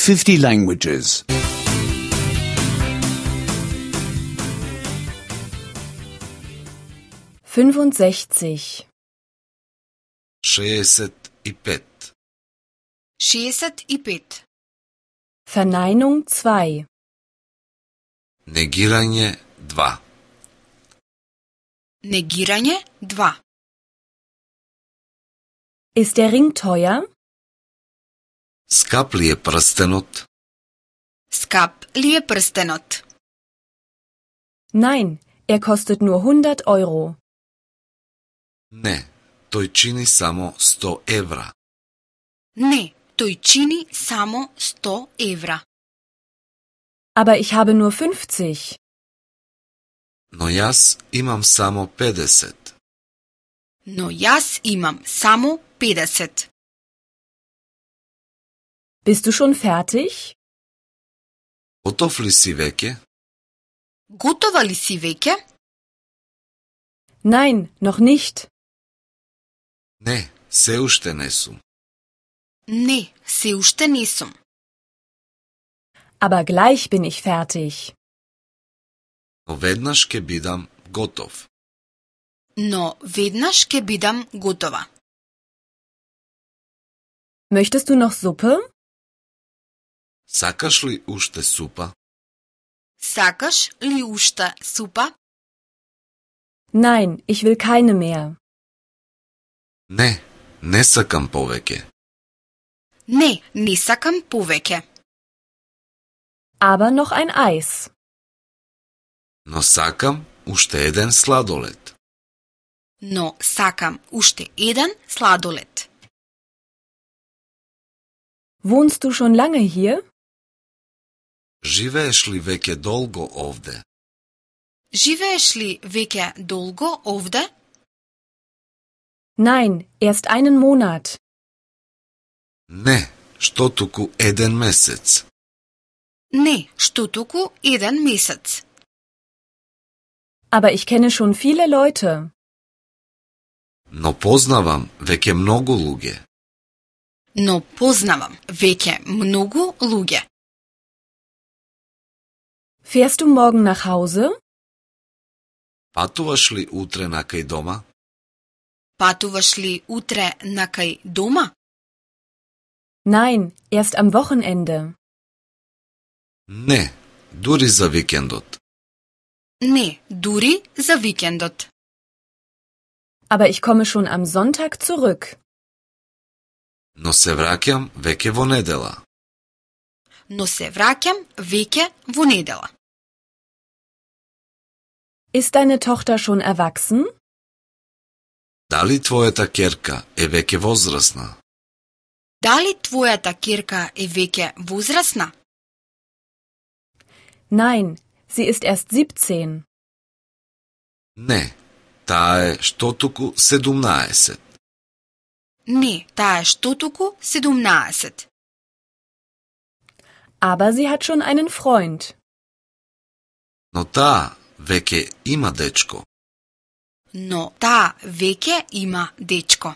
50 languages. 65. 65. 65. Verneinung 2. Негирање 2. Негирање 2. Ist der Ring teuer? Скап ли е прстенот? Скап ли е прстенот? Nein, er kostet nur 100 Euro. Не, тој чини само 100 евра. Не, тој чини само 100 евра. Aber ich habe nur 50. Но јас имам само 50. Но јас имам само 50. Bist du schon fertig? Готов ли си веќе? Готова ли си веќе? Nein, noch nicht. Не, се уште не сум. Не, се уште не сум. Aber gleich bin ich fertig. Но веднаш ќе бидам готов. Но веднаш ќе бидам готова. Möchtest du noch Suppe? Сакаш ли уште супа? Сакаш ли уште супа? Nein, ich will keine mehr. Не, не сакам повеќе. Не, не сакам повеќе. Aber noch ein Eis. Но сакам уште еден сладолед. Но сакам уште еден сладолед. Wohnst du schon lange hier? Живееш ли веќе долго овде? Живееш ли веќе долго овде? Nein, erst einen Monat. Не, што туку еден месец. Не, што туку еден месец. Aber ich kenne schon viele Leute. Но познавам веќе многу луѓе. Но познавам веќе многу луѓе. Fährst du morgen nach Hause? Патуваш ли утре накај дома? Патуваш ли утре накај дома? Nein, erst am Wochenende. Не, дури за викендот. Не, дури за викендот. Aber ich komme schon am Sonntag zurück. Но се враќам веќе во недела. Но се враќам веќе во недела. Ist deine Tochter schon erwachsen? Дали твојата ќерка е веќе возрасна? Дали твојата ќерка е веќе возрасна? Nein, sie ist erst 17. Не, таа е што туку 17. Не, таа е што туку 17. Aber sie hat schon einen Freund. Но таа веќе има дечко. Но таа веќе има дечко.